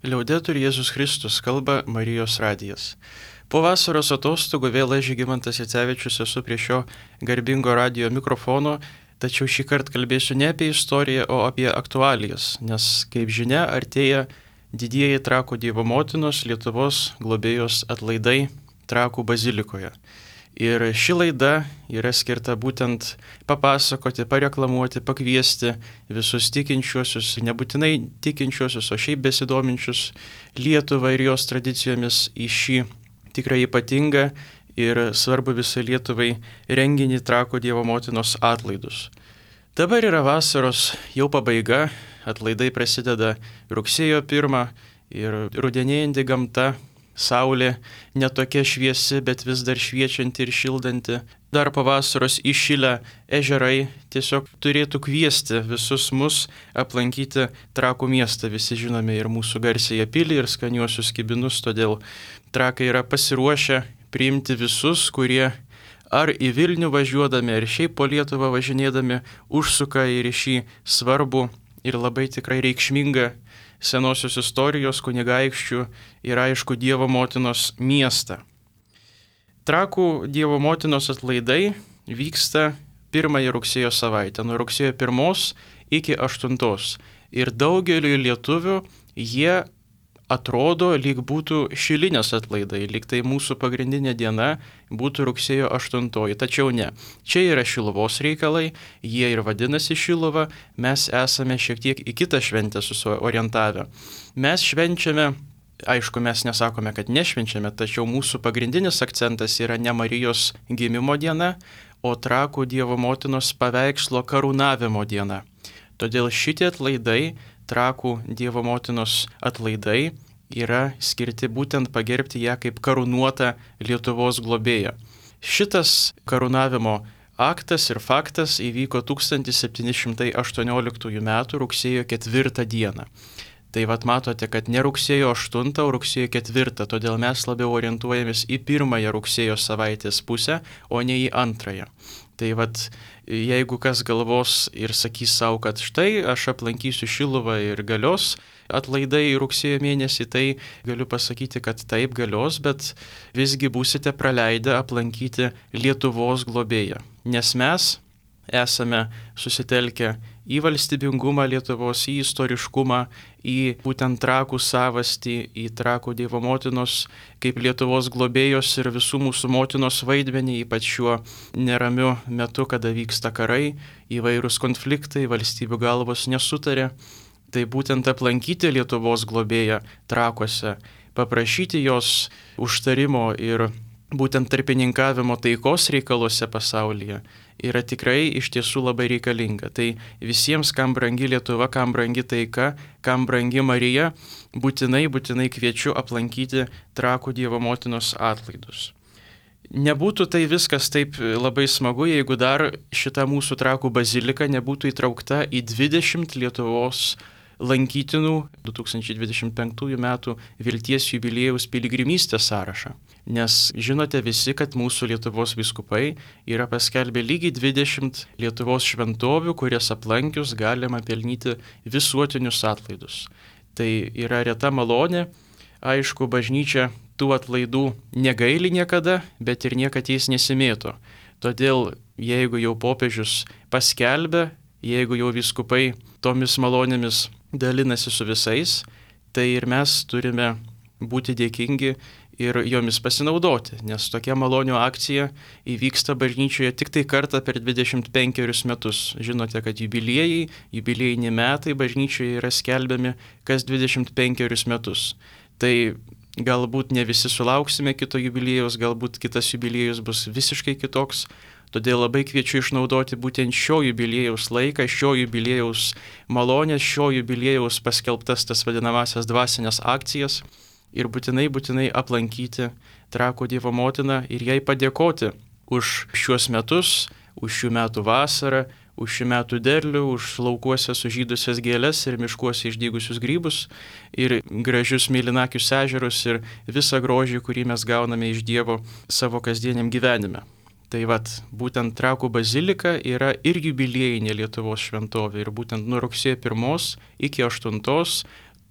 Liaudetur Jėzus Kristus, kalba Marijos radijas. Po vasaros atostogų vėl aš, Žygimantas Jacevičius, esu prie šio garbingo radijo mikrofono, tačiau šį kartą kalbėsiu ne apie istoriją, o apie aktualijas, nes, kaip žinia, artėja didieji Trakų Dievo motinos Lietuvos globėjos atlaidai Trakų bazilikoje. Ir ši laida yra skirta būtent papasakoti, pareklamuoti, pakviesti visus tikinčiuosius, nebūtinai tikinčiuosius, o šiaip besidominčius Lietuvą ir jos tradicijomis į šį tikrai ypatingą ir svarbu visai Lietuvai renginį Trakų Dievo motinos atlaidus. Dabar yra vasaros jau pabaiga, atlaidai prasideda rugsėjo 1 ir rudenėjanti gamta. Saulė netokia šviesi, bet vis dar šviečianti ir šildanti. Dar po vasaros įšilę ežerai tiesiog turėtų kviesti visus mus aplankyti Trakų miestą. Visi žinome ir mūsų garsiąją pilį, ir skaniuosius kibinus, todėl Trakai yra pasiruošę priimti visus, kurie ar į Vilnių važiuodami, ar šiaip po Lietuvą važinėdami užsuka ir į šį svarbų ir labai tikrai reikšmingą senosios istorijos kunigaikščių ir aišku Dievo motinos miestą. Trakų Dievo motinos atlaidai vyksta 1 rugsėjo savaitę, nuo rugsėjo 1 iki 8. Ir daugeliu lietuvių jie atrodo, lyg būtų šilinės atlaidai, lyg tai mūsų pagrindinė diena būtų rugsėjo 8. Tačiau ne. Čia yra Šiluvos reikalai, jie ir vadinasi Šiluva, mes esame šiek tiek į kitą šventę susiorientavę. Mes švenčiame, aišku, mes nesakome, kad nešvenčiame, tačiau mūsų pagrindinis akcentas yra ne Marijos gimimo diena, o Trakų Dievo motinos paveikslo karūnavimo diena. Todėl šitie atlaidai, Trakų Dievo motinos atlaidai, yra skirti būtent pagerbti ją kaip karūnuotą Lietuvos globėją. Šitas karūnavimo aktas ir faktas įvyko 1718 m. rugsėjo 4 dieną. Tai vat matote, kad ne rugsėjo 8, o rugsėjo 4, todėl mes labiau orientuojamės į 1 rugsėjo savaitės pusę, o ne į 2. Tai vat, jeigu kas galvos ir sakys savo, kad štai aš aplankysiu Šiluvą ir galios atlaidai rugsėjo mėnesį, tai galiu pasakyti, kad taip galios, bet visgi būsite praleidę aplankyti Lietuvos globėją. Nes mes esame susitelkę į valstybingumą Lietuvos, į istoriškumą, į būtent Trakų savastį, į Trakų Dievo motinos kaip Lietuvos globėjos ir visų mūsų motinos vaidmenį, ypač šiuo neramiu metu, kada vyksta karai, įvairūs konfliktai, valstybių galvos nesutarė. Tai būtent aplankyti Lietuvos globėją Trakuose, paprašyti jos užtarimo ir būtent tarpininkavimo taikos reikaluose pasaulyje yra tikrai iš tiesų labai reikalinga. Tai visiems, kam brangi Lietuva, kam brangi taika, kam brangi Marija, būtinai kviečiu aplankyti Trakų Dievo motinos atlaidus. Nebūtų tai viskas taip labai smagu, jeigu dar šita mūsų Trakų bazilika nebūtų įtraukta į 20 Lietuvos lankytinų 2025 metų Vilties jubiliejaus piligrimystės sąrašą. Nes žinote visi, kad mūsų Lietuvos vyskupai yra paskelbę lygiai 20 Lietuvos šventovių, kurias aplankius galima pelnyti visuotinius atlaidus. Tai yra reta malonė, aišku, bažnyčia tų atlaidų negaili niekada, bet ir niekad jais nesimėto. Todėl, jeigu jau popiežius paskelbė, jeigu jau vyskupai tomis malonėmis dalinasi su visais, tai ir mes turime būti dėkingi ir jomis pasinaudoti, nes tokia malonių akcija įvyksta bažnyčioje tik tai kartą per 25 metus. Žinote, kad jubiliejiniai metai bažnyčioje yra skelbiami kas 25 metus. Tai galbūt ne visi sulauksime kito jubiliejaus, galbūt kitas jubiliejus bus visiškai kitoks. Todėl labai kviečiu išnaudoti būtent šio jubiliejaus laiką, šio jubiliejaus malonės, šio jubiliejaus paskelbtas tas vadinamasias dvasinės akcijas ir būtinai aplankyti Trakų Dievo motiną ir jai padėkoti už šiuos metus, už šių metų vasarą, už šių metų derlių, už laukuose sužydusias gėles ir miškuose išdygusius grybus ir gražius mėlynakius ežerus ir visą grožį, kurį mes gauname iš Dievo savo kasdieniam gyvenime. Tai vat, būtent Trakų bazilika yra ir jubiliejinė Lietuvos šventovė ir būtent nuo rugsėjo 1 iki 8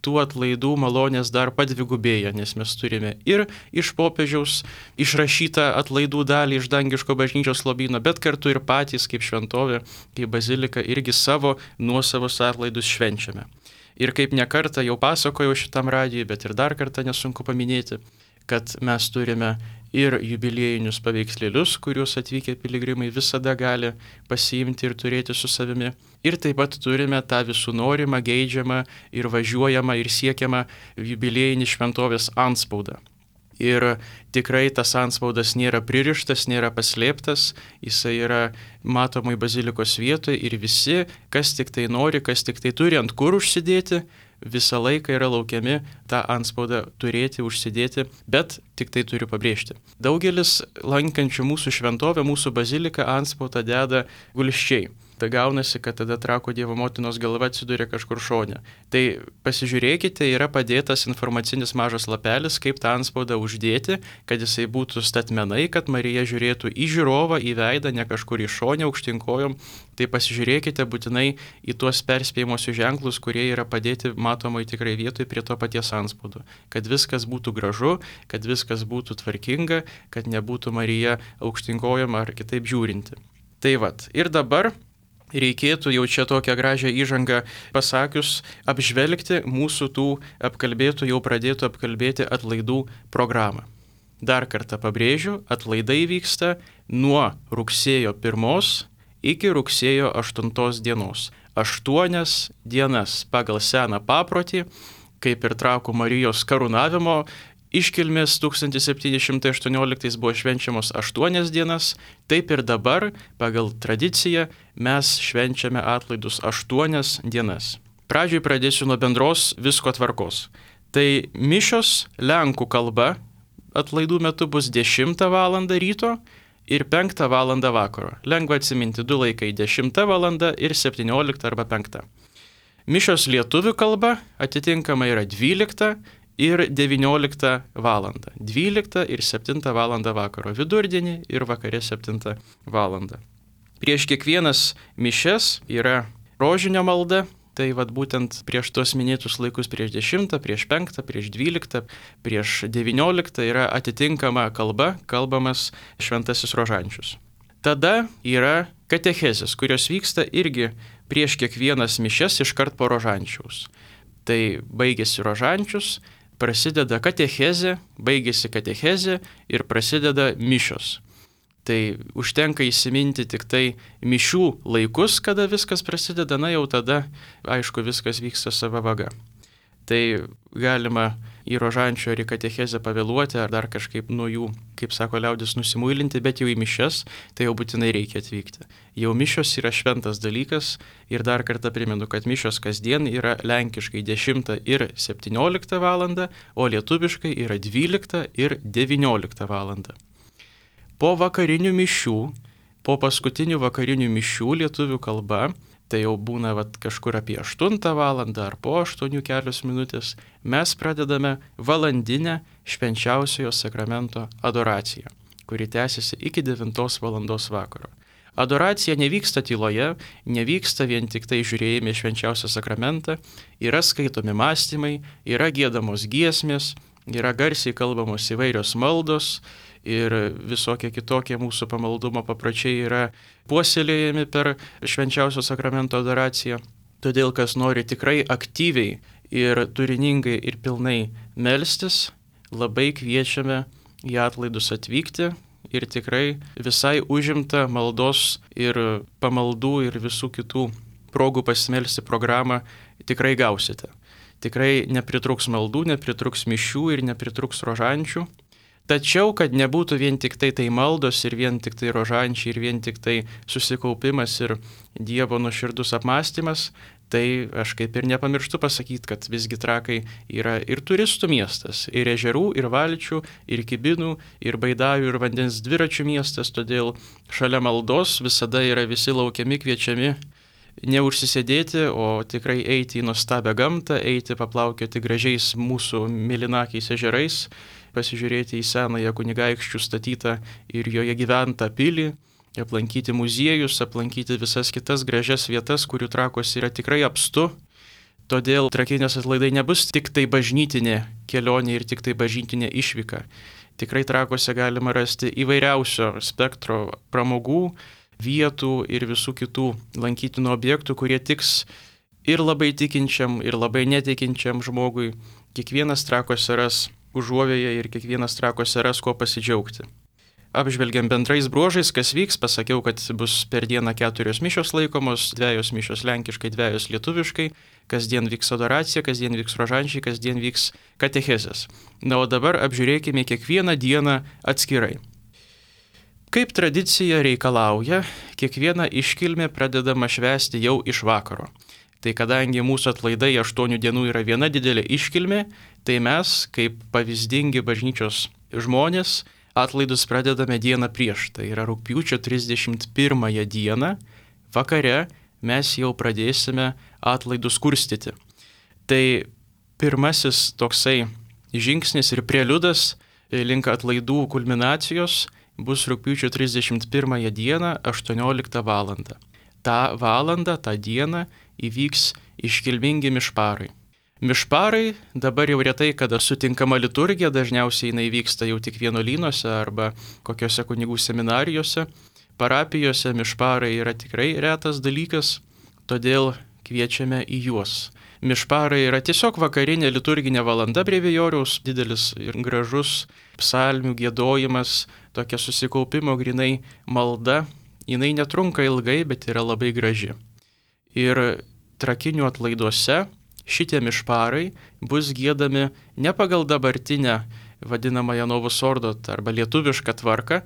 tų atlaidų malonės dar padvigubėja, nes mes turime ir iš popiežiaus išrašytą atlaidų dalį iš dangiško bažnyčios lobyno, bet kartu ir patys kaip šventovė, kaip bazilika irgi savo nuosavus atlaidus švenčiame. Ir kaip nekartą jau pasakojau šitam radijui, bet ir dar kartą nesunku paminėti, kad mes turime ir jubiliejinius paveikslėlius, kuriuos atvykę piligrimai visada gali pasiimti ir turėti su savimi. Ir taip pat turime tą visų norimą, geidžiamą ir važiuojamą ir siekiamą jubiliejinį šventovės antspaudą. Ir tikrai tas antspaudas nėra pririštas, nėra paslėptas, jisai yra matomai bazilikos vietoje ir visi, kas tik tai nori, kas tik tai turi ant kur užsidėti, visą laiką yra laukiami tą antspaudą turėti, užsidėti, bet tik tai turiu pabrėžti. Daugelis lankančių mūsų šventovę, mūsų baziliką antspaudą deda gulsčiai. Tai gaunasi, kad tada Trakų Dievo motinos galva atsiduria kažkur šone. Tai pasižiūrėkite, yra padėtas informacinis mažas lapelis, kaip tą antspaudą uždėti, kad jisai būtų statmenai, kad Marija žiūrėtų į žiūrovą, į veidą, ne kažkur į šonę aukštinkojom. Tai pasižiūrėkite būtinai į tuos perspėjimosius ženklus, kurie yra padėti matomai tikrai vietoj prie to paties antspaudo. Kad viskas būtų gražu, kad viskas būtų tvarkinga, kad nebūtų Marija aukštinkojama ar kitaip žiūrinti. Tai vat, ir dabar reikėtų jau čia tokią gražią įžangą pasakius apžvelgti mūsų tų apkalbėtų, jau pradėtų apkalbėti atlaidų programą. Dar kartą pabrėžiu, atlaidai vyksta nuo rugsėjo 1 iki rugsėjo 8 dienos. 8 dienas pagal seną paprotį, kaip ir Trakų Marijos karūnavimo iškilmės 1718 buvo švenčiamos 8 dienas, taip ir dabar pagal tradiciją mes švenčiame atlaidus 8 dienas. Pradžioj pradėsiu nuo bendros visko tvarkos. Tai mišios lenkų kalba atlaidų metu bus 10 val. Ryto ir 5 val. Vakaro. Lengva atsiminti, du laikai 10 val. Ir 17 arba 5. Mišios lietuvių kalba atitinkamai yra 12 ir 19 val. 12 ir 7 val. Vakaro. Vidurdienį ir vakare 7 val. Prieš kiekvienas mišias yra rožinio malda. Tai vad būtent prieš tos minėtus laikus, prieš 10, prieš 5, prieš 12, prieš 19 yra atitinkama kalba, kalbamas šventasis rožančius. Tada yra katechezės, kurios vyksta irgi prieš kiekvienas mišias iškart po rožančiaus. Tai baigėsi rožančius, prasideda katechezė, baigėsi katechezė ir prasideda mišios. Tai užtenka įsiminti tik tai mišių laikus, kada viskas prasideda, na jau tada, aišku, viskas vyksta sava vaga. Tai galima į rožančio ar į katechezę pavėluoti, ar dar kažkaip nuo jų, kaip sako liaudis, nusimuilinti, bet jau į mišias, tai jau būtinai reikia atvykti. Jau mišios yra šventas dalykas ir dar kartą primenu, kad mišios kasdien yra lenkiškai 10 ir 17 val., o lietuviškai yra 12 ir 19 val. Po vakarinių mišių, po paskutinių vakarinių mišių lietuvių kalba, tai jau būna kažkur apie 8 val. Ar po 8 kelios minutės, mes pradedame valandinę švenčiausiojo sakramento adoraciją, kuri tęsiasi iki 9 val. Vakaro. Adoracija nevyksta tyloje, nevyksta vien tik tai žiūrėjime švenčiausią sakramentą, yra skaitomi mąstymai, yra giedamos giesmės, yra garsiai kalbamos įvairios maldos, ir visokie kitokie mūsų pamaldumo papročiai yra puoselėjami per švenčiausio sakramento adoraciją. Todėl, kas nori tikrai aktyviai ir turiningai ir pilnai melstis, labai kviečiame į atlaidus atvykti ir tikrai visai užimta maldos ir pamaldų ir visų kitų progų pasimelsti programą tikrai gausite. Tikrai nepritruks maldų, nepritruks mišių ir nepritruks rožančių. Tačiau, kad nebūtų vien tik tai maldos ir vien tik tai rožančiai ir vien tik tai susikaupimas ir Dievo nuoširdus apmąstymas, tai aš kaip ir nepamirštu pasakyti, kad visgi Trakai yra ir turistų miestas, ir ežerų, ir valčių, ir kibinų, ir baidarių, ir vandens dviračių miestas, todėl šalia maldos visada yra visi laukiami, kviečiami neužsisėdėti, o tikrai eiti į nuostabią gamtą, eiti paplaukioti gražiais mūsų mėlynakiais ežerais, pasižiūrėti į senąją kunigaikščių statytą ir joje gyventą pilį, aplankyti muziejus, aplankyti visas kitas gražias vietas, kurių Trakuose yra tikrai apstu. Todėl Trakinės atlaidai nebus tik tai bažnytinė kelionė ir tik tai bažnytinė išvyka. Tikrai Trakuose galima rasti įvairiausio spektro pramogų, vietų ir visų kitų lankytinų objektų, kurie tiks ir labai tikinčiam, ir labai netikinčiam žmogui. Kiekvienas Trakuose ras užuovėją ir kiekvienas Trakuose ras kuo pasidžiaugti. Apžvelgiam bendrais bruožais, kas vyks. Pasakiau, kad bus per dieną 4 mišios laikomos, 2 mišios lenkiškai, 2 lietuviškai. Kasdien vyks adoracija, kasdien vyks rožančiai, kasdien vyks katechezės. Na, o dabar apžiūrėkime kiekvieną dieną atskirai. Kaip tradicija reikalauja, kiekviena iškilmė pradedama švęsti jau iš vakaro. Tai kadangi mūsų atlaidai 8 dienų yra viena didelė iškilmė, tai mes, kaip pavyzdingi bažnyčios žmonės, atlaidus pradedame dieną prieš. Tai yra rugpjūčio 31 dieną, vakare mes jau pradėsime atlaidus kurstyti. Tai pirmasis toksai žingsnis ir preliudas link atlaidų kulminacijos bus rugpjūčio 31 dieną 18 val. Ta valandą, tą dieną įvyks iškilmingi mišparai. Mišparai dabar jau retai kada sutinkama liturgija, dažniausiai jinai vyksta jau tik vienuolynuose arba kokiuose kunigų seminarijose. Parapijose mišparai yra tikrai retas dalykas, todėl kviečiame į juos. Mišparai yra tiesiog vakarinė liturginė valanda brevijoriaus, didelis ir gražus psalmių giedojimas, tokia susikaupimo grinai malda. Jinai netrunka ilgai, bet yra labai graži. Ir Trakinių atlaiduose šitie mišparai bus giedami ne pagal dabartinę vadinamąją Novus Ordo arba lietuvišką tvarką,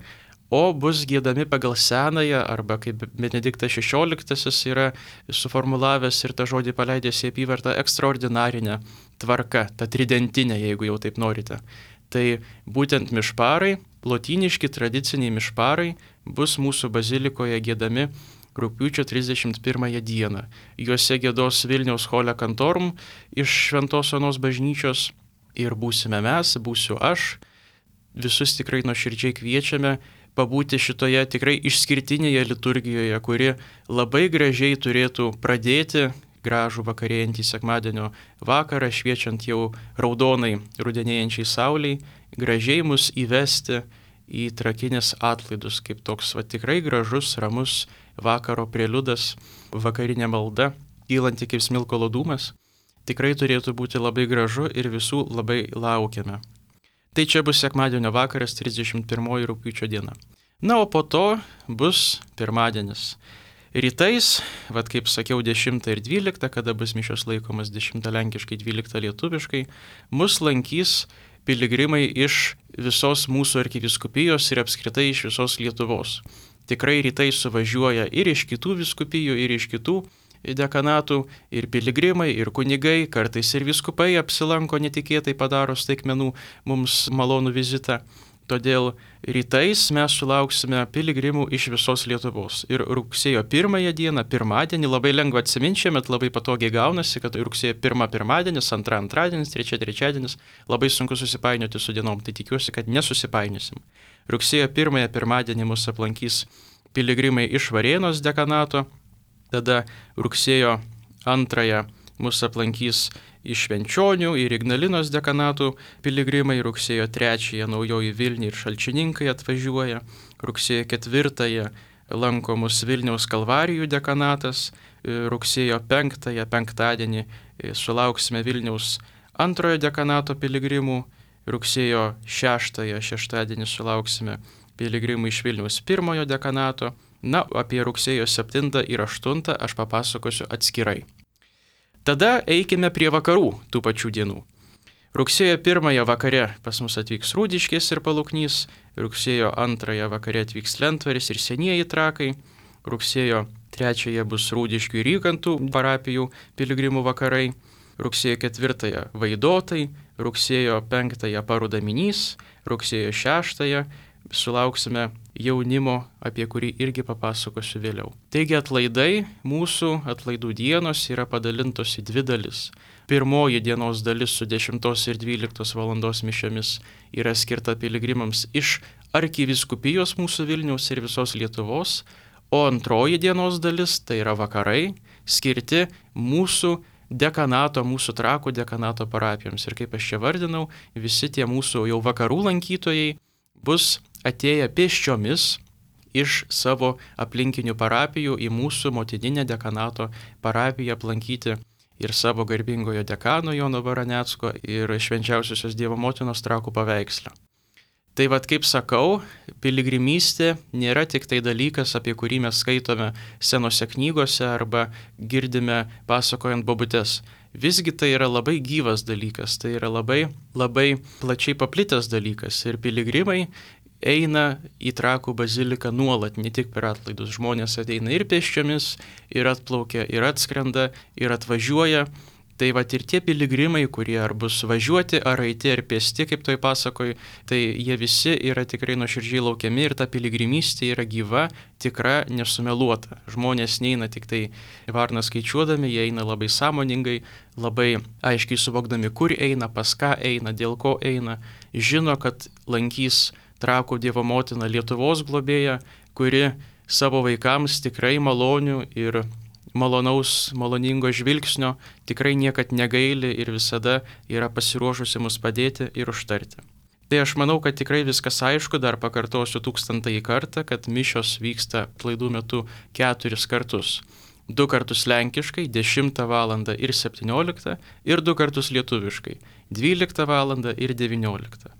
o bus giedami pagal senąją arba kaip Benediktas XVI yra suformulavęs ir tą žodį paleidęs į apyvartą ekstraordinarinę tvarką, tą tridentinę, jeigu jau taip norite. Tai būtent mišparai, lotyniški tradiciniai mišparai bus mūsų bazilikoje giedami rugpjūčio 31 dieną. Juose giedos Vilniaus Chole Cantorum iš Šventos Onos bažnyčios ir būsime mes, būsiu aš. Visus tikrai nuoširdžiai kviečiame pabūti šitoje tikrai išskirtinėje liturgijoje, kuri labai gražiai turėtų pradėti gražų vakarėjantį sekmadienio vakarą, šviečiant jau raudonai rudenėjančiai sauliai, gražiai mus įvesti į Trakinės atlaidus, kaip toks tikrai gražus, ramus vakaro preliudas, vakarinė malda, kylanti kaip smilkalo dūmas. Tikrai turėtų būti labai gražu ir visų labai laukiame. Tai čia bus sekmadienio vakaras, 31 rugpjūčio diena. Na, o po to bus pirmadienis. Rytais, kaip sakiau, 10 ir 12, kada bus mišios laikomas 10 lenkiškai, 12 lietuviškai, mus lankys piligrimai iš visos mūsų arkivyskupijos ir apskritai iš visos Lietuvos. Tikrai rytais suvažiuoja ir iš kitų vyskupijų, ir iš kitų dekanatų, ir piligrimai, ir kunigai, kartais ir vyskupai apsilanko netikėtai, padaro staigmenų mums malonų vizitą. Todėl rytais mes sulauksime piligrimų iš visos Lietuvos. Ir rugsėjo 1 dieną, pirmadienį, labai lengva atsiminti, šiemet labai patogiai gaunasi, kad rugsėjo 1 pirmadienis, 2 antradienis, 3 trečiadienis, labai sunku susipainioti su dienom, tai tikiuosi, kad nesusipainiosim. Rugsėjo 1 pirmadienį mus aplankys piligrimai iš Varėnos dekanato, tada rugsėjo 2 mus aplankys iš Švenčionių ir Ignalinos dekanatų piligrimai, rugsėjo 3 Naujoji Vilnia ir Šalčininkai atvažiuoja, rugsėjo 4 lanko mus Vilniaus Kalvarijų dekanatas, rugsėjo 5 penktadienį sulauksime Vilniaus 2 dekanato piligrimų, rugsėjo 6 šeštadienį sulauksime piligrimų iš Vilniaus 1 dekanato. Na, apie rugsėjo 7 ir 8 aš papasakosiu atskirai. Tada eikime prie vakarų tų pačių dienų. Rugsėjo 1 vakare pas mus atvyks Rūdiškės ir Paluknys, rugsėjo 2 vakare atvyks Lentvaris ir Senieji Trakai, rugsėjo 3 bus Rūdiškių ir Rykantų parapijų piligrimų vakarai, rugsėjo 4 Vaidotai, rugsėjo 5 Parudaminys, rugsėjo 6 sulauksime jaunimo, apie kurį irgi papasakosiu vėliau. Taigi atlaidai, mūsų atlaidų dienos yra padalintos į 2 dalis. Pirmoji dienos dalis su 10 ir 12 valandos mišiomis yra skirta piligrimams iš arkivyskupijos mūsų Vilniaus ir visos Lietuvos, o antroji dienos dalis, tai yra vakarai, skirti mūsų dekanato, mūsų Trakų dekanato parapijoms. Ir kaip aš čia vardinau, visi tie mūsų jau vakarų lankytojai bus atėję pėsčiomis iš savo aplinkinių parapijų į mūsų motininę dekanato parapiją aplankyti ir savo garbingojo dekano Jono Baranecko ir švenčiausiosios Dievo motinos Trakų paveikslą. Tai vad, kaip sakau, piligrimystė nėra tik tai dalykas, apie kurį mes skaitome senose knygose arba girdime pasakojant bobutes. Visgi tai yra labai gyvas dalykas, tai yra labai plačiai paplitęs dalykas ir piligrimai eina į Trakų baziliką nuolat, ne tik per atlaidus. Žmonės ateina ir pėsčiomis, ir atplaukia, ir atskrenda, ir atvažiuoja. Tai va ir tie piligrimai, kurie ar bus važiuoti, ar eiti, ar pėsti, kaip toj pasakoj, tai jie visi yra tikrai nuoširdžiai laukiami ir ta piligrimystė yra gyva, tikra, nesumeluota. Žmonės neina tik tai varną skaičiuodami, jie eina labai sąmoningai, labai aiškiai suvokdami, kur eina, pas ką eina, dėl ko eina. Žino, kad lankys Trakų Dievo motina Lietuvos globėja, kuri savo vaikams tikrai malonių ir maloningo žvilgsnio tikrai niekad negaili ir visada yra pasiruošusi mus padėti ir užtarti. Tai aš manau, kad tikrai viskas aišku, dar pakartosiu 1000 kartą, kad mišios vyksta atlaidų metu 4 kartus. 2 kartus lenkiškai, 10 val. Ir 17, ir 2 kartus lietuviškai, 12 val. Ir 19.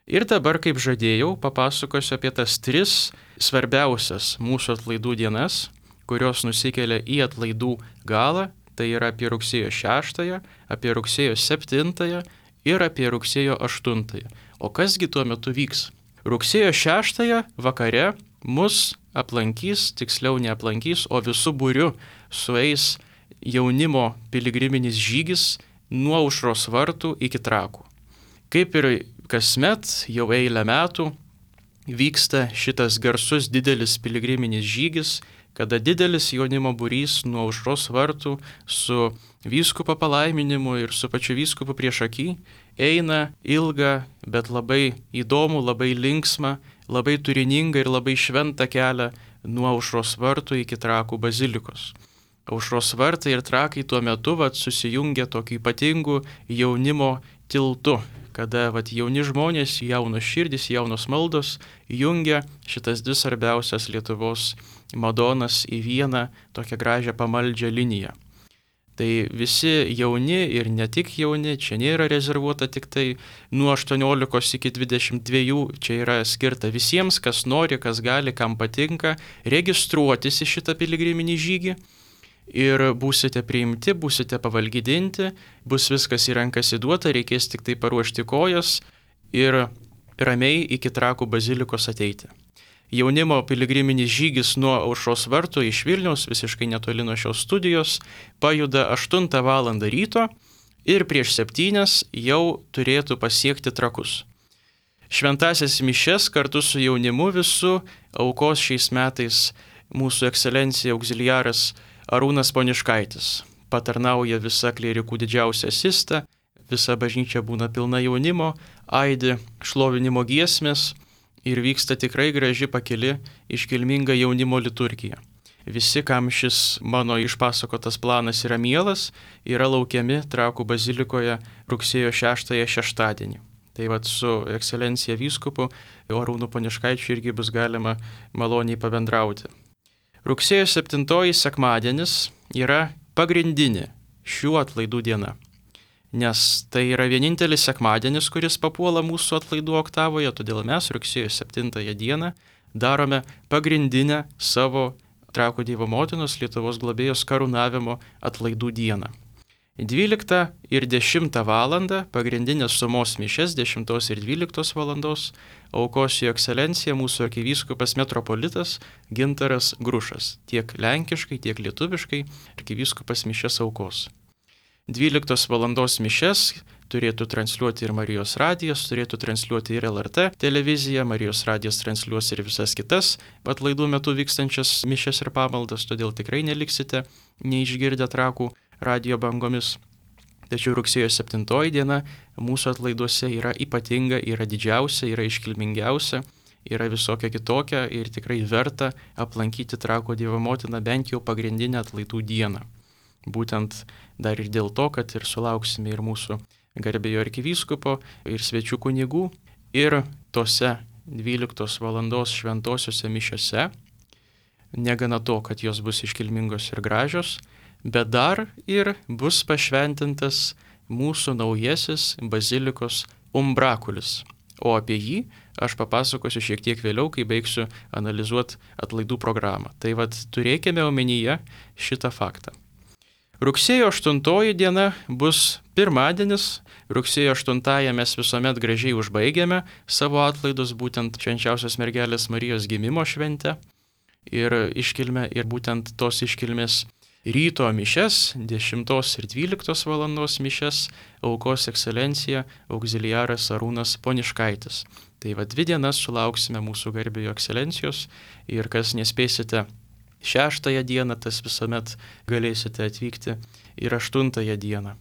Ir dabar, kaip žadėjau, papasakosiu apie tas 3 svarbiausias mūsų atlaidų dienas, kurios nusikelia į atlaidų galą, tai yra apie rugsėjo 6, apie rugsėjo 7 ir apie rugsėjo 8. O kasgi tuo metu vyks? Rugsėjo 6 vakare mus aplankys, tiksliau neaplankys, o visų būriu sueis jaunimo piligriminis žygis nuo Aušros vartų iki Trakų. Kaip ir kasmet, jau eilę metų, vyksta šitas garsus didelis piligriminis žygis, kada didelis jaunimo būrys nuo Aušros vartų su vyskupo palaiminimu ir su pačiu vyskupu priešaky eina ilgą, bet labai įdomų, labai linksmą, labai turiningą ir labai šventą kelią nuo Aušros vartų iki Trakų bazilikos. Aušros vartai ir Trakai tuo metu susijungia tokiu ypatingu jaunimo tiltu, kada jauni žmonės, jaunos širdys, jaunos maldos jungia šitas 2 svarbiausias Lietuvos Madonas į vieną tokią gražią pamaldžią liniją. Tai visi jauni ir ne tik jauni, čia nėra rezervuota tik tai nuo 18 iki 22, čia yra skirta visiems, kas nori, kas gali, kam patinka, registruotis į šitą piligriminį žygį. Ir būsite priimti, būsite pavalgydinti, bus viskas į rankas įduota, reikės tik tai paruošti kojas ir ramiai iki Trakų bazilikos ateiti. Jaunimo piligriminis žygis nuo Aušros vartų iš Vilniaus, visiškai netoli nuo šios studijos, pajuda 8 val. Ryto ir prieš 7 jau turėtų pasiekti Trakus. Šventąsias mišias kartu su jaunimu visų aukos šiais metais mūsų ekscelencija auxiliaras Arūnas Poniškaitis. Patarnauja visa klierikų didžiausia asista, visa bažnyčia būna pilna jaunimo, aidi šlovinimo giesmės ir vyksta tikrai graži pakili iškilminga jaunimo liturgija. Visi, kam šis mano išpasakotas planas yra mielas, yra laukiami Trakų bazilikoje rugsėjo 6 šeštadienį. Tai su ekscelencija vyskupu Arūnu Poniškaičiu irgi bus galima maloniai pabendrauti. Rugsėjo 7 sekmadienis yra pagrindinė šių atlaidų diena, nes tai yra vienintelis sekmadienis, kuris papuola mūsų atlaidų oktavoje, todėl mes rugsėjo 7 dieną darome pagrindinę savo Trakų Dievo motinos Lietuvos globėjos karūnavimo atlaidų dieną. 12 ir 10 val. Pagrindinės sumos mišias 10 ir 12 val. Aukos jo ekscelencija mūsų arkivyskupas metropolitas Gintaras Grušas. Tiek lenkiškai, tiek lietuviškai arkivyskupas mišias aukos. 12 val. Mišias turėtų transliuoti ir Marijos radijas, turėtų transliuoti ir LRT televizija, Marijos radijas transliuos ir visas kitas atlaidų metu vykstančias mišias ir pamaldas, todėl tikrai neliksite neišgirdę Trakų radijo bangomis. Tačiau rugsėjo 7 diena mūsų atlaiduose yra ypatinga, yra didžiausia, yra iškilmingiausia, yra visokia kitokia ir tikrai verta aplankyti Trakų Dievo motiną bent jau pagrindinę atlaidų dieną. Būtent dar ir dėl to, kad ir sulauksime ir mūsų garbėjo arkivyskupo, ir svečių kunigų, ir tose 12 valandos šventosiuose mišiose, negana to, kad jos bus iškilmingos ir gražios, bet dar ir bus pašventintas mūsų naujasis bazilikos umbrakulis. O apie jį aš papasakosiu šiek tiek vėliau, kai baigsiu analizuoti atlaidų programą. Tai vad turėkime omenyje šitą faktą. Rugsėjo 8 diena bus pirmadienis. Rugsėjo 8 mes visuomet gražiai užbaigiame savo atlaidus, būtent švenčiausios mergelės Marijos gimimo šventę ir iškilmę, ir būtent tos iškilmės ryto mišes, 10 ir 12 valandos mišes, aukos ekscelencija auxiliaras Arūnas Poniškaitis. Tai va 2 dienas sulauksime mūsų garbėjo ekscelencijos ir kas nespėsite 6 dieną, tas visuomet galėsite atvykti ir 8 dieną.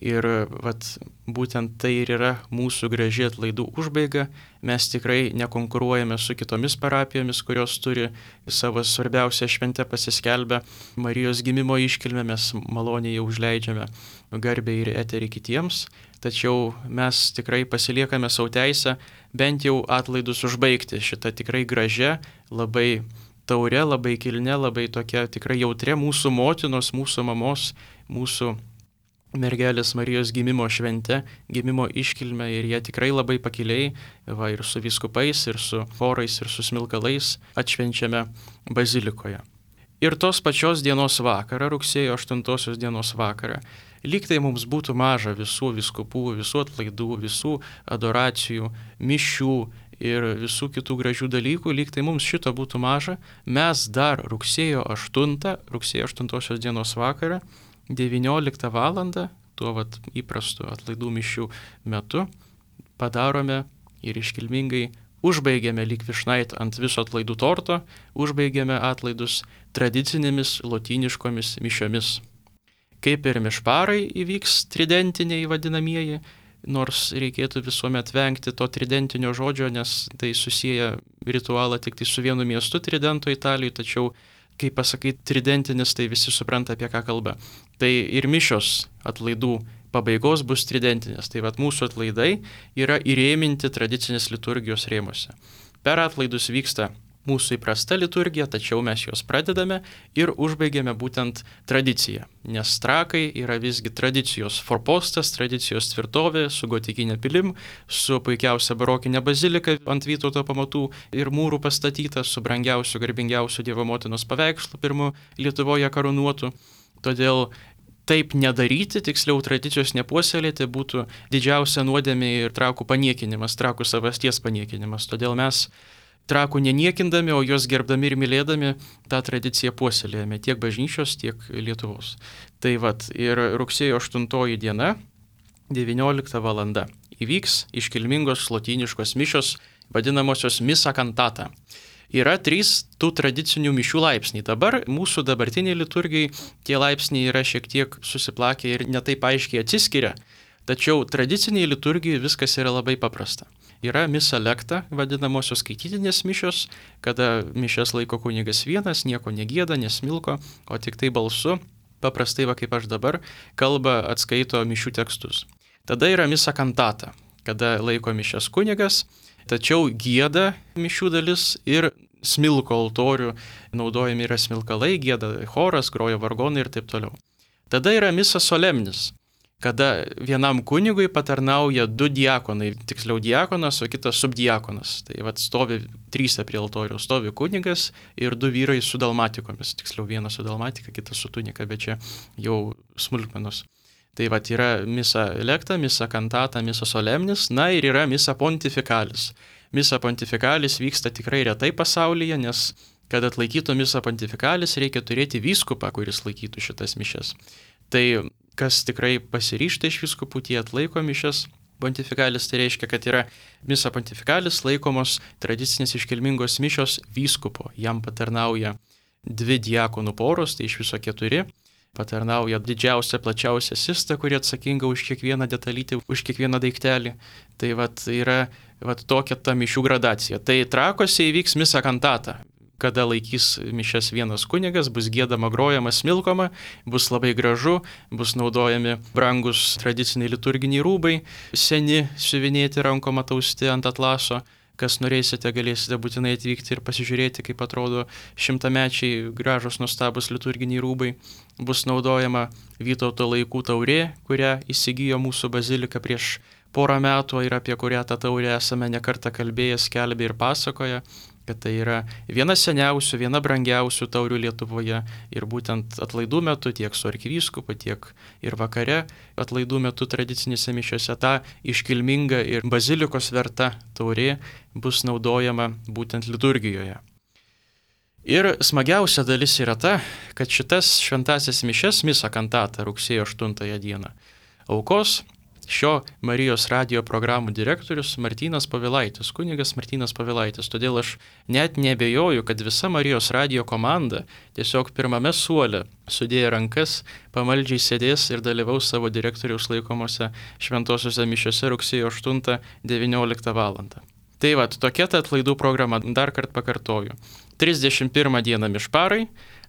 Ir vat, būtent tai ir yra mūsų graži atlaidų užbaiga. Mes tikrai nekonkuruojame su kitomis parapijomis, kurios turi savo svarbiausią šventę pasiskelbę Marijos gimimo iškilmę. Mes maloniai jau užleidžiame garbę ir eterį kitiems, tačiau mes tikrai pasiliekame savo teisę bent jau atlaidus užbaigti šitą tikrai gražią, labai taurę, labai kilnę, labai tokia tikrai jautria mūsų motinos, mūsų mamos, mūsų mergelės Marijos gimimo švente, gimimo iškilme ir jie tikrai labai pakiliai, va ir su vyskupais, ir su chorais, ir su smilkalais atšvenčiame bazilikoje. Ir tos pačios dienos vakarą, rugsėjo 8 dienos vakarą, lyg tai mums būtų maža visų vyskupų, visų atlaidų, visų adoracijų, mišių ir visų kitų gražių dalykų, lyg tai mums šito būtų maža, mes dar rugsėjo 8 dienos vakarą, 19 valandą, tuo vat įprastu atlaidų mišių metu, padarome ir iškilmingai užbaigėme lyg vyšnaitę ant viso atlaidų torto, užbaigėme atlaidus tradicinėmis lotyniškomis mišiomis. Kaip ir mišparai įvyks tridentiniai vadinamieji, nors reikėtų visuomet vengti to tridentinio žodžio, nes tai susiję ritualą tik tai su vienu miestu Tridento Italijoje, tačiau kai pasakai tridentinis, tai visi supranta, apie ką kalba. Tai ir mišios atlaidų pabaigos bus tridentinės. Tai vat mūsų atlaidai yra įrėminti tradicinės liturgijos rėmuose. Per atlaidus vyksta mūsų įprasta liturgija, tačiau mes juos pradedame ir užbaigiame būtent tradiciją. Nes trakai yra visgi tradicijos forpostas, tradicijos tvirtovė su gotikinė pilim, su puikiausia barokinė bazilika ant Vytauto pamatų ir mūrų pastatyta, su brangiausiu, garbingiausiu Dievo motinos paveikslu pirmu Lietuvoje karūnuotu. Todėl taip nedaryti, tiksliau tradicijos nepuoselėti, būtų didžiausia nuodėmė ir trakų paniekinimas, trakų savasties paniekinimas. Todėl mes trakų neniekindami, o juos gerbdami ir mylėdami, tą tradiciją puoselėjame tiek bažnyčios, tiek Lietuvos. Tai vat ir rugsėjo 8 diena, 19 valanda, įvyks iškilmingos lotyniškos mišios, vadinamosios misa cantata. Yra 3 tų tradicinių mišių laipsniai. Dabar mūsų dabartiniai liturgijai tie laipsniai yra šiek tiek susiplakę ir netaip aiškiai atsiskiria, tačiau tradiciniai liturgijai viskas yra labai paprasta. Yra misa lecta, vadinamosios skaitytinės mišios, kada mišias laiko kunigas vienas, nieko negieda, nesmilko, o tik tai balsu, paprastai va kaip aš dabar, kalba atskaito mišių tekstus. Tada yra misa cantata, kada laiko mišias kunigas, tačiau gieda mišių dalis ir smilko altorių, naudojami yra smilkalai, gieda choras, groja vargonai ir taip toliau. Tada yra misa solemnis, kada vienam kunigui patarnauja 2 diakonai, tiksliau diakonas, o kitas subdiakonas. Tai vat stovi 3 prie altoriaus, stovi kunigas ir 2 vyrai su dalmatikomis, tiksliau vienas su dalmatika, kitas su tunika, bet čia jau smulkmenos. Tai vat yra misa lecta, misa cantata, misa solemnis, na ir yra misa pontifikalis. Misa pontifikalis vyksta tikrai retai pasaulyje, nes kad atlaikytų misa pontifikalis reikia turėti vyskupą, kuris laikytų šitas mišias. Tai kas tikrai pasiryžta iš vyskupų, tie atlaiko mišias pontifikalis, tai reiškia, kad yra misa pontifikalis laikomos tradicinės iškilmingos mišios vyskupo. Jam patarnauja 2 diakonų poros, tai iš viso 4. Patarnauja didžiausia, plačiausia sista, kuri atsakinga už kiekvieną detalytį, už kiekvieną daiktelį. Tai vat yra tokia ta mišių gradacija. Tai Trakuose įvyks misa cantata. kada laikys mišias vienas kunigas, bus giedama, grojama, smilkoma, bus labai gražu, bus naudojami brangus tradiciniai liturginiai rūbai, seni, siuvinėti rankom atausti ant atlaso. Kas norėsite, galėsite būtinai atvykti ir pasižiūrėti, kaip atrodo šimtamečiai gražus nuostabus liturginiai rūbai. Bus naudojama Vytauto laikų taurė, kurią įsigijo mūsų bazilika prieš porą metų ir apie kurią tą taurę esame nekartą kalbėję, skelbę ir pasakoję, kad tai yra viena seniausių, viena brangiausių taurių Lietuvoje ir būtent atlaidų metu tiek su arkivyskupu, tiek ir vakare atlaidų metu tradicinėse mišiose ta iškilminga ir bazilikos verta taurė bus naudojama būtent liturgijoje. Ir smagiausia dalis yra ta, kad šitas šventasias mišias misa kantata rugsėjo 8 dieną aukos šio Marijos radijo programų direktorius Martynas Povilaitis, kunigas Martynas Povilaitis. Todėl aš net neabejoju, kad visa Marijos radijo komanda tiesiog pirmame suole sudėję rankas pamaldžiai sėdės ir dalyvaus savo direktoriaus laikomose šventosiuose mišiuose rugsėjo 8-19 val. Tai va, tokia ta atlaidų programa, dar kartą pakartoju. 31 dieną mišparai,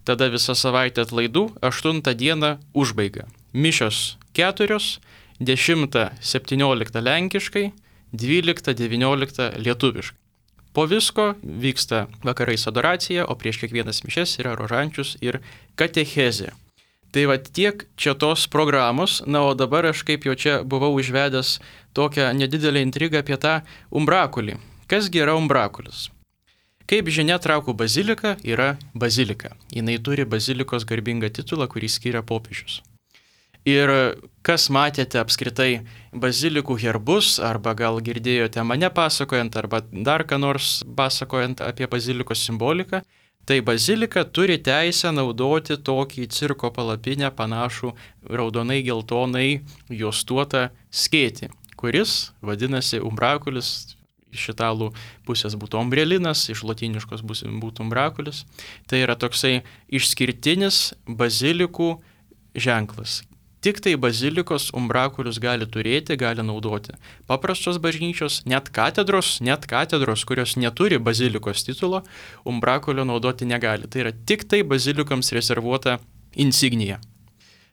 tada visą savaitę atlaidų, 8 dieną užbaiga. Mišios 4, 10-17 lenkiškai, 12-19 lietuviškai. Po visko vyksta vakarais adoracija, o prieš kiekvienas mišias yra rožančius ir katechezė. Tai va tiek čia tos programos, na o dabar aš kaip jau čia buvau užvedęs tokią nedidelę intrigą apie tą umbrakulį. Kasgi yra umbrakulis? Kaip žinia, Trakų bazilika yra bazilika. Jinai turi bazilikos garbingą titulą, kurį skiria popiežius. Ir kas matėte apskritai bazilikų herbus, arba gal girdėjote mane pasakojant, arba dar ką nors pasakojant apie bazilikos simboliką, tai bazilika turi teisę naudoti tokį cirko palapinę panašų raudonai geltonai juostuotą skėtį, kuris vadinasi umbrakulis, iš italų pusės būtų ombrelinas, iš lotyniškos būtų umbrakulis. Tai yra toksai išskirtinis bazilikų ženklas. Tik tai bazilikos umbrakulius gali turėti, gali naudoti. Paprastos bažnyčios, net katedros, kurios neturi bazilikos titulo, umbrakulio naudoti negali. Tai yra tik tai bazilikams rezervuota insignija.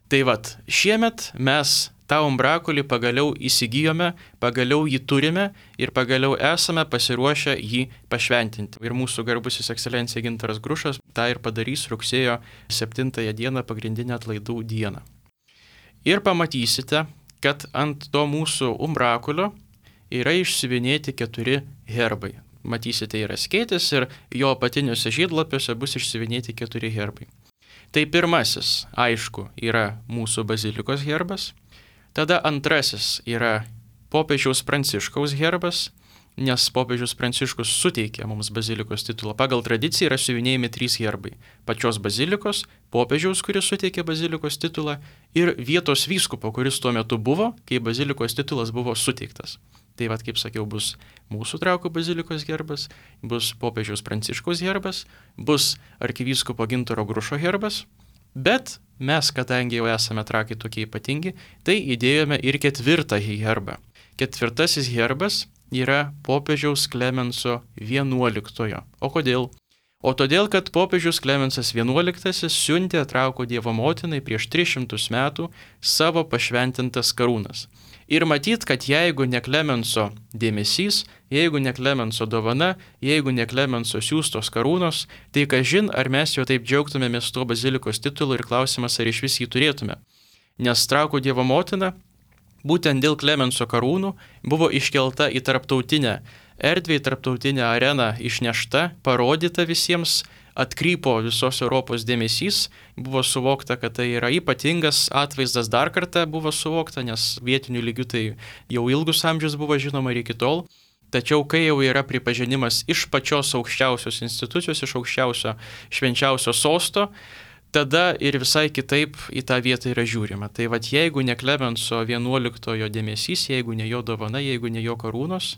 Tai vat, šiemet mes tą umbrakulį pagaliau įsigijome, pagaliau jį turime ir pagaliau esame pasiruošę jį pašventinti. Ir mūsų garbusis ekscelencija Gintaras Grušas tą ir padarys rugsėjo 7 dieną, pagrindinę atlaidų dieną. Ir pamatysite, kad ant to mūsų umbrakulio yra išsiuvinėti 4 herbai. Matysite, yra skėtis ir jo apatiniuose žiedlapiuose bus išsiuvinėti 4 herbai. Tai pirmasis, aišku, yra mūsų bazilikos herbas. Tada antrasis yra popiežiaus Pranciškaus herbas, nes popiežius Pranciškus suteikė mums bazilikos titulą. Pagal tradiciją yra siuvinėjami 3 herbai. Pačios bazilikos, popiežiaus, kuris suteikė bazilikos titulą, ir vietos vyskupo, kuris tuo metu buvo, kai bazilikos titulas buvo suteiktas. Tai vad, kaip sakiau, bus mūsų Trakų bazilikos herbas, bus popiežiaus Pranciškaus herbas, bus arkivyskupo Gintaro Grušo herbas, bet mes, kadangi jau esame Trakai tokie ypatingi, tai įdėjome ir 4 herbą. 4 herbas yra popiežiaus Klemenso XI. O kodėl? O todėl, kad popiežius Klemensas XI siuntė Trakų Dievo motinai prieš 300 metų savo pašventintas karūnas. Ir matyt, kad jeigu ne Klemenso dėmesys, jeigu ne Klemenso dovana, jeigu ne Klemenso siūstos karūnos, tai kažin, ar mes jau taip džiaugtumėmės tuo bazilikos titulu ir klausimas, ar iš vis jį turėtume. Nes Trakų Dievo motina būtent dėl Klemenso karūnų buvo iškelta į tarptautinę erdvę, į tarptautinę areną, išnešta, parodyta visiems, atkrypo visos Europos dėmesys, buvo suvokta, kad tai yra ypatingas atvaizdas, dar kartą buvo suvokta, nes vietinių lygių tai jau ilgus amžius buvo žinoma ir iki tol. Tačiau kai jau yra pripažinimas iš pačios aukščiausios institucijos, iš aukščiausio švenčiausio sosto, tada ir visai kitaip į tą vietą yra žiūrima. Tai vad, jeigu ne Klemenso XI dėmesys, jeigu ne jo dovana, jeigu ne jo karūnos,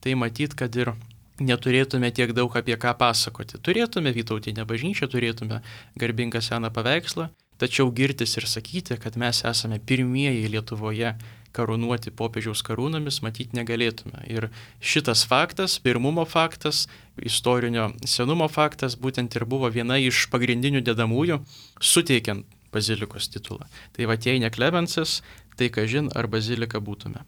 tai matyt, kad ir neturėtume tiek daug apie ką pasakoti. Turėtume vytautinę bažnyčią, turėtume garbingą seną paveikslą, tačiau girtis ir sakyti, kad mes esame pirmieji Lietuvoje karūnuoti popiežiaus karūnomis, matyti negalėtume. Ir šitas faktas, pirmumo faktas, istorinio senumo faktas, būtent ir buvo viena iš pagrindinių dedamųjų, suteikiant bazilikos titulą. Tai va, jei ne Klemensas, tai kažin ar bazilika būtume.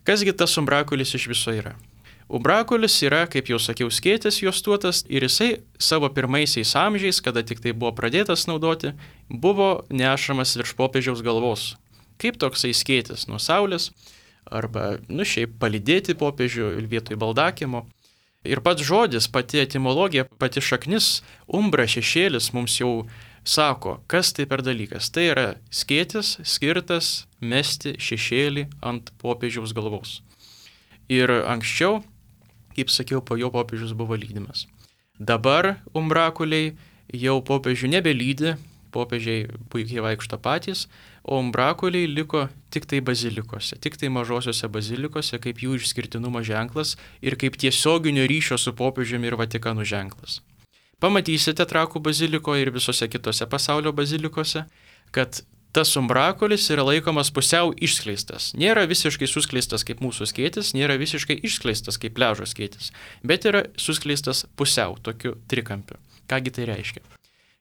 Kasgi tas umbrakulis iš viso yra? Umbrakulis yra, kaip jau sakiau, skėtis juostuotas ir jisai savo pirmaisiais amžiais, kada tik tai buvo pradėtas naudoti, buvo nešamas virš popiežiaus galvos. Kaip toksai skėtis nuo saulės, arba, šiaip palydėti popiežių vietoj baldakimo. Ir pats žodis, pati etimologija, pati šaknis, umbra, šešėlis mums jau sako, kas tai per dalykas. Tai yra skėtis skirtas mesti šešėlį ant popiežiaus galvos. Ir anksčiau, kaip sakiau, po jo popiežius buvo lydimas. Dabar umbrakuliai jau popiežių nebelydi, popiežiai puikiai vaikšto patys, o umbrakuliai liko tik tai bazilikose, tik tai mažosiuose bazilikose, kaip jų išskirtinumo ženklas ir kaip tiesioginio ryšio su popiežiumi ir Vatikanu ženklas. Pamatysite Trakų bazilikoje ir visose kitose pasaulio bazilikose, kad tas umbrakulis yra laikomas pusiau išskleistas. Nėra visiškai suskleistas kaip mūsų skėtis, nėra visiškai išskleistas kaip pliažo skėtis, bet yra suskleistas pusiau, tokiu trikampiu. Kągi tai reiškia?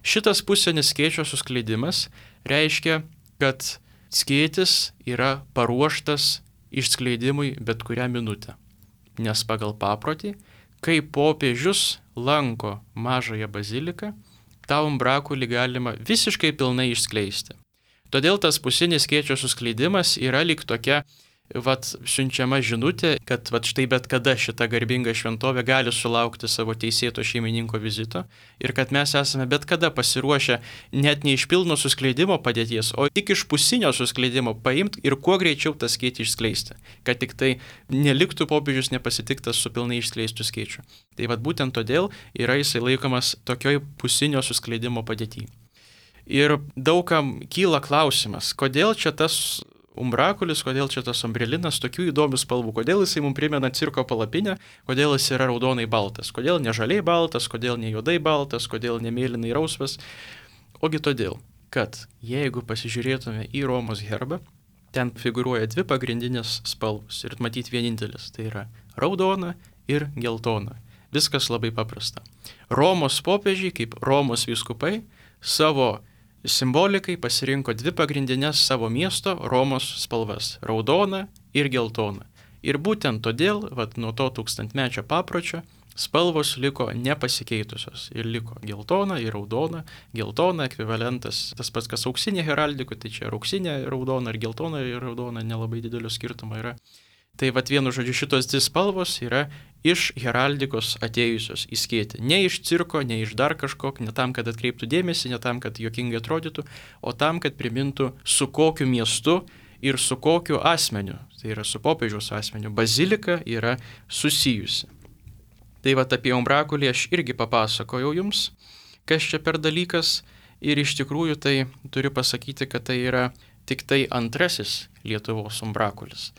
Šitas pusinis skėčio suskleidimas reiškia, kad skėtis yra paruoštas išskleidimui bet kurią minutę. Nes pagal paprotį, kai popiežius lanko mažąją baziliką, tą umbrakulį galima visiškai pilnai išskleisti. Todėl tas pusinis skėčio suskleidimas yra lyg tokia, siunčiama žinutė, kad štai bet kada šita garbinga šventovė gali sulaukti savo teisėto šeimininko vizito ir kad mes esame bet kada pasiruošę net ne iš pilno suskleidimo padėties, o tik iš pusinio suskleidimo paimti ir kuo greičiau tą skėtį išskleisti, kad tik tai neliktų popiežius nepasitiktas su pilnai išskleistų skėčiu. Tai būtent todėl yra jisai laikomas tokioj pusinio suskleidimo padėtyje. Ir daugam kyla klausimas, kodėl čia tas umbrakulis, kodėl čia tas umbrelinas tokių įdomių spalvų, kodėl jisai mums primena cirko palapinę, kodėl jis yra raudonai baltas, kodėl ne žaliai baltas, kodėl ne juodai baltas, kodėl ne mėlynai rausvas. Ogi todėl, kad jeigu pasižiūrėtume į Romos herbą, ten figūruoja dvi pagrindinės spalvos ir matyti vienintelis, tai yra raudona ir geltona. Viskas labai paprasta. Romos popiežiai, kaip Romos vyskupai, savo simbolikai pasirinko dvi pagrindinės savo miesto Romos spalvas - raudoną ir geltoną. Ir būtent todėl, nuo to tūkstantmečio papročio, spalvos liko nepasikeitusios. Ir liko geltona ir raudona. Geltona ekvivalentas tas pats, kas auksinė heraldika, tai čia auksinė raudona ir geltona ir raudona nelabai didelio skirtumo yra. Tai vienu žodžiu šitos dvi spalvos yra iš heraldikos atėjusios į skėtį. Ne iš cirko, ne iš dar kažkok, ne tam, kad atkreiptų dėmesį, ne tam, kad juokingai atrodytų, o tam, kad primintų, su kokiu miestu ir su kokiu asmeniu, tai yra su popiežiaus asmeniu, bazilika yra susijusi. Tai apie umbrakulį aš irgi papasakojau jums, kas čia per dalykas, ir iš tikrųjų tai turiu pasakyti, kad tai yra tik tai antrasis Lietuvos umbrakulis.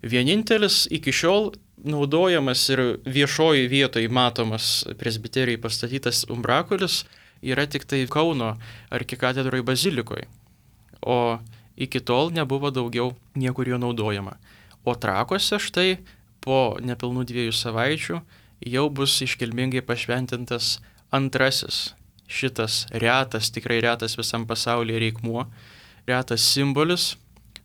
Vienintelis iki šiol naudojamas ir viešoji vietoje matomas presbiterijai pastatytas umbrakulis yra tik tai Kauno arkikatedroje bazilikoje, o iki tol nebuvo daugiau niekur jo naudojama. O Trakuose štai po nepilnų 2 savaičių jau bus iškilmingai pašventintas antrasis šitas retas, tikrai retas visam pasaulyje reikmuo, retas simbolis,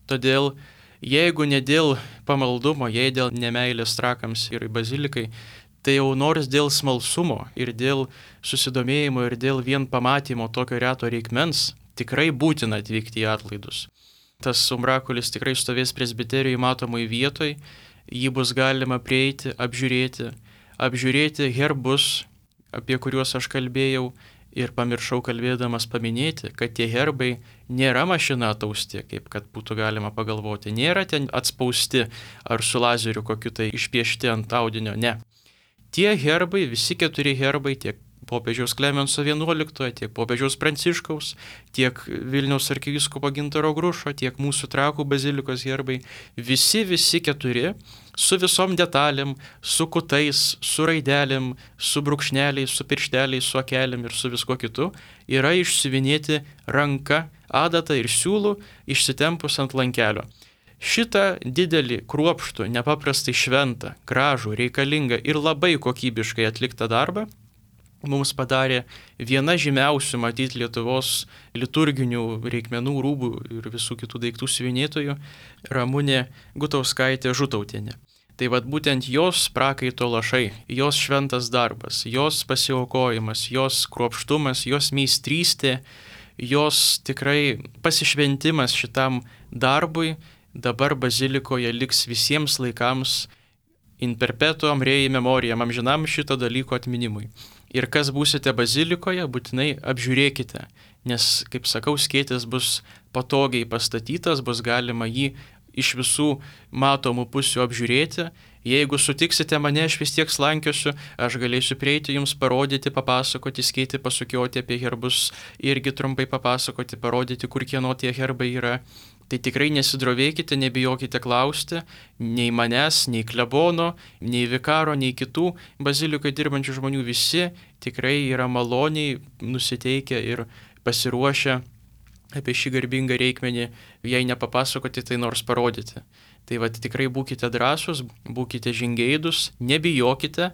todėl jeigu ne dėl pamaldumo, jei dėl nemeilės trakams ir bazilikai, tai jau nors dėl smalsumo ir dėl susidomėjimo ir dėl vien pamatymo tokio reto reikmens, tikrai būtina atvykti į atlaidus. Tas umbrakulis tikrai stovės presbiterijai matomai vietoj, jį bus galima prieiti, apžiūrėti herbus, apie kuriuos aš kalbėjau, ir pamiršau kalbėdamas paminėti, kad tie herbai nėra mašina atausti, kaip kad būtų galima pagalvoti. Nėra ten atspausti ar su lazeriu kokiu tai išpiešti ant audinio, ne. Tie herbai, visi 4 herbai, tiek popiežiaus Klemenso XI, tiek popiežiaus Pranciškaus, tiek Vilniaus arkivyskupo Gintaro Grušo, tiek mūsų Trakų bazilikos herbai, visi 4 su visom detalėm, su kutais, su raidelėm, su brūkšneliais, su piršteliais, su akelėm ir su visko kitu, yra išsiuvinėti ranka, adata ir siūlų išsitempus ant lankelio. Šitą didelį, kruopštų, nepaprastai šventą, gražų, reikalingą ir labai kokybiškai atliktą darbą mums padarė viena žymiausių, matyti, Lietuvos liturginių reikmenų, rūbų ir visų kitų daiktų siuvinėtojų Ramunė Gutauskaitė Žutautienė. Tai vad būtent jos prakaito lašai, jos šventas darbas, jos pasiaukojimas, jos kruopštumas, jos meistrystė, jos tikrai pasišventimas šitam darbui dabar bazilikoje liks visiems laikams in perpetuam rei memoriam, amžinam šito dalyko atminimui. Ir kas būsite bazilikoje, būtinai apžiūrėkite, nes, kaip sakau, skėtis bus patogiai pastatytas, bus galima jį iš visų matomų pusių apžiūrėti. Jeigu sutiksite mane, aš vis tiek slankiosiu, aš galėsiu prieiti jums parodyti, papasakoti, skėti, pasukioti apie herbus, irgi trumpai papasakoti, parodyti, kur kieno tie herbai yra. Tai tikrai nesidrovėkite, nebijokite klausti, nei manęs, nei klebono, nei vikaro, nei kitų bazilikoje dirbančių žmonių, visi tikrai yra maloniai nusiteikę ir pasiruošę apie šį garbingą reikmenį, jei nepapasakoti, tai nors parodyti. Tai vad tikrai būkite drąsūs, būkite žingeidus, nebijokite,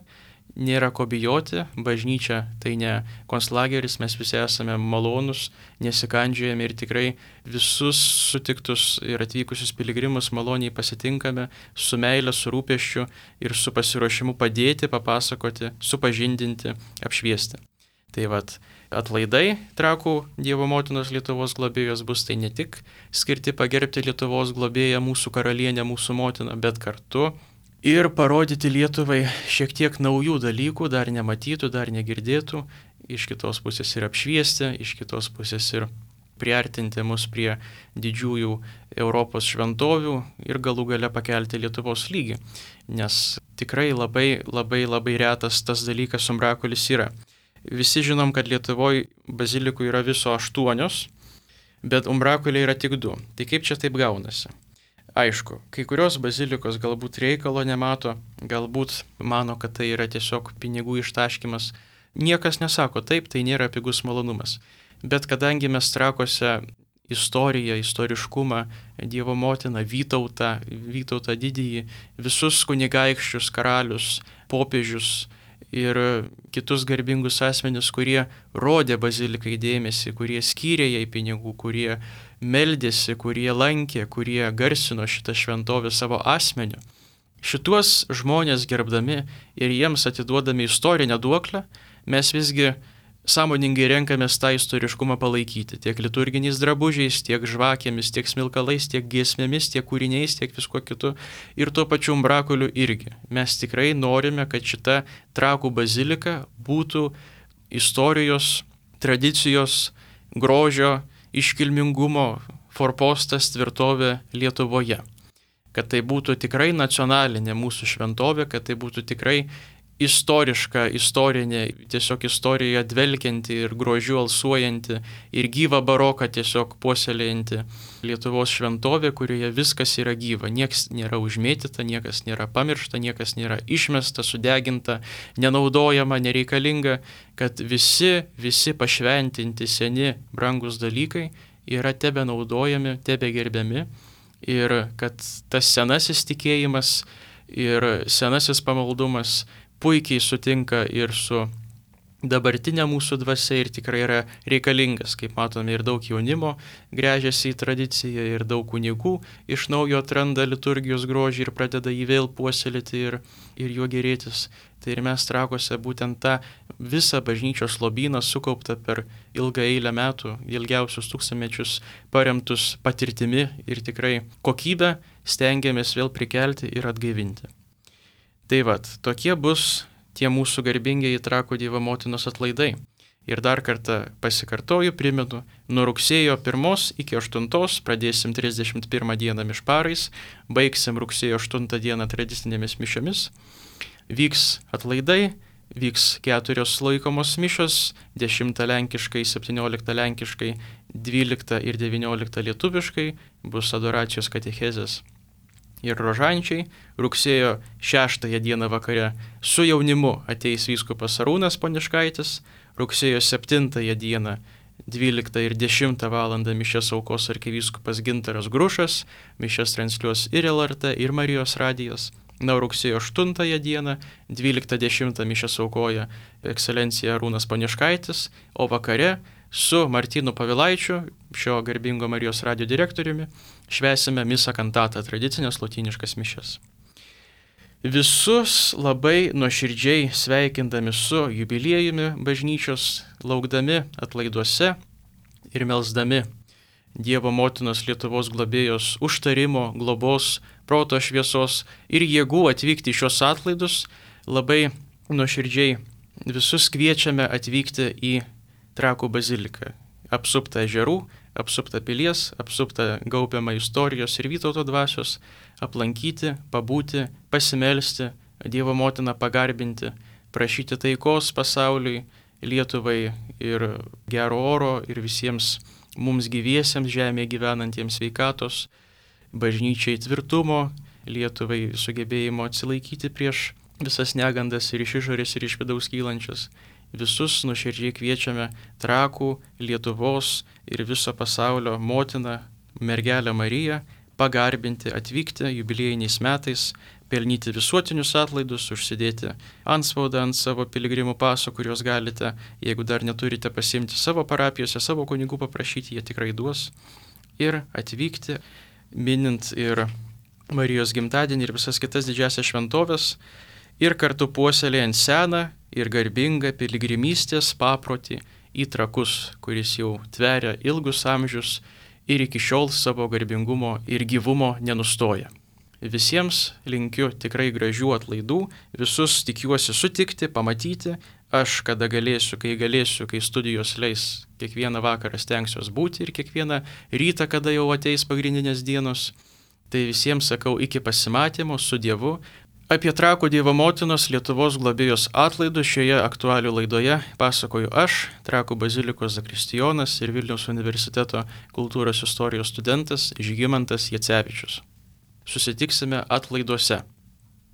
nėra ko bijoti, bažnyčia tai ne konclageris, mes visi esame malonus, nesikandžiojame ir tikrai visus sutiktus ir atvykusius piligrimus maloniai pasitinkame su meile, su rūpesčiu ir su pasiruošimu padėti, papasakoti, supažindinti, apšviesti. Tai vad atlaidai Trakų Dievo motinos Lietuvos globėjos bus tai ne tik skirti pagerbti Lietuvos globėją, mūsų karalienę, mūsų motiną, bet kartu ir parodyti Lietuvai šiek tiek naujų dalykų, dar nematytų, dar negirdėtų, iš kitos pusės ir apšviesti, iš kitos pusės ir priartinti mus prie didžiųjų Europos šventovių ir galų gale pakelti Lietuvos lygį. Nes tikrai labai retas tas dalykas umbrakulis yra. Visi žinom, kad Lietuvoje bazilikų yra viso 8, bet umbrakuliai yra tik 2. Tai kaip čia taip gaunasi? Aišku, kai kurios bazilikos galbūt reikalo nemato, galbūt mano, kad tai yra tiesiog pinigų ištaškymas. Niekas nesako taip, tai nėra pigus malonumas. Bet kadangi mes Trakuose istoriją, istoriškumą, Dievo motiną, Vytautą didįjį, visus kunigaikščius, karalius, popiežius ir kitus garbingus asmenis, kurie rodė bazilikai dėmesį, kurie skyrė jai pinigų, kurie meldėsi, kurie lankė, kurie garsino šitą šventovę savo asmeniu. Šituos žmonės gerbdami ir jiems atiduodami istorinę duoklę, mes visgi sąmoningai renkamės tą istoriškumą palaikyti, tiek liturginiais drabužiais, tiek žvakėmis, tiek smilkalais, tiek giesmėmis, tiek kūriniais, tiek visko kitu ir tuo pačiu umbrakuliu irgi. Mes tikrai norime, kad šita Trakų bazilika būtų istorijos, tradicijos, grožio, iškilmingumo forpostas, tvirtovė Lietuvoje. Kad tai būtų tikrai nacionalinė mūsų šventovė, kad tai būtų tikrai istoriška, istorinė, tiesiog istorija dvelkianti ir grožiu alsuojanti ir gyvą baroką tiesiog puoselėjanti Lietuvos šventovė, kurioje viskas yra gyva. Niekas nėra užmėtyta, niekas nėra pamiršta, niekas nėra išmesta, sudeginta, nenaudojama, nereikalinga, kad visi pašventinti seni brangus dalykai yra tebe naudojami, tebe gerbiami ir kad tas senasis tikėjimas ir senasis pamaldumas puikiai sutinka ir su dabartinė mūsų dvasia ir tikrai yra reikalingas. Kaip matome, ir daug jaunimo gręžiasi į tradiciją ir daug kunigų iš naujo atranda liturgijos grožį ir pradeda jį vėl puoselėti ir juo gerėtis. Tai ir mes Trakuose būtent tą visą bažnyčios lobyną sukauptą per ilgą eilę metų, ilgiausius tūkstantmečius paremtus patirtimi ir tikrai kokybę stengiamės vėl prikelti ir atgaivinti. Tai vad, tokie bus tie mūsų garbingieji Trakų Dievo motinos atlaidai. Ir dar kartą pasikartoju, primenu, nuo rugsėjo 1 iki 8 pradėsim 31 dieną mišparais, baigsim rugsėjo 8 dieną tradicinėmis mišiomis. Vyks atlaidai, vyks 4 laikomos mišios, 10 lenkiškai, 17 lenkiškai, 12 ir 19 lietuviškai, bus adoracijos katechezės ir rožančiai. Rugsėjo 6 dieną vakare su jaunimu ateis vyskupas Arūnas Poniškaitis, rugsėjo 7 dieną 12 ir 10 val. Mišias aukos arkivyskupas Gintaras Grušas, mišias transliuos ir LRT, ir Marijos radijas. Na, rugsėjo 8 dieną, 12:10 mišias aukoja ekscelencija Arūnas Poniškaitis, o vakare su Martynu Pavilaičiu, šio garbingo Marijos radijo direktoriumi, švęsime misą kantatą, tradicinės lotyniškas mišias. Visus labai nuoširdžiai sveikindami su jubiliejumi bažnyčios, laukdami atlaiduose ir melsdami Dievo motinos Lietuvos globėjos užtarimo, globos, proto šviesos ir jėgų atvykti į šios atlaidus, labai nuoširdžiai visus kviečiame atvykti į Trakų baziliką, apsuptą ežerų, apsuptą pilies, apsuptą gaubiamą istorijos ir Vytauto dvasios, aplankyti, pabūti, pasimelsti, Dievo motiną pagarbinti, prašyti taikos pasauliui, Lietuvai ir gero oro ir visiems mums gyviesiems žemėje gyvenantiems sveikatos, bažnyčiai tvirtumo, Lietuvai sugebėjimo atsilaikyti prieš visas negandas ir iš išorės ir iš vidaus kylančias. Visus nuoširdžiai kviečiame Trakų, Lietuvos ir viso pasaulio motiną, mergelę Mariją, pagarbinti, atvykti jubiliejiniais metais, pelnyti visuotinius atlaidus, užsidėti antspaudą ant savo piligrimų paso, kuriuos galite, jeigu dar neturite, pasiimti savo parapijose, savo kunigų paprašyti, jie tikrai duos. Ir atvykti, minint ir Marijos gimtadienį ir visas kitas didžiasias šventovės, ir kartu puoselėjant seną ir garbingą piligrimystės paprotį į Trakus, kuris jau tveria ilgus amžius ir iki šiol savo garbingumo ir gyvumo nenustoja. Visiems linkiu tikrai gražių atlaidų, visus tikiuosi sutikti, pamatyti, aš kada galėsiu, kai studijos leis, kiekvieną vakarą stengsiuos būti ir kiekvieną rytą, kada jau ateis pagrindinės dienos. Tai visiems sakau iki pasimatymo su Dievu. Apie Trakų Dievo motinos Lietuvos globėjos atlaidus šioje aktualių laidoje pasakoju aš, Trakų bazilikos zakristijonas ir Vilniaus universiteto kultūros istorijos studentas Žygimantas Jacevičius. Susitiksime atlaiduose.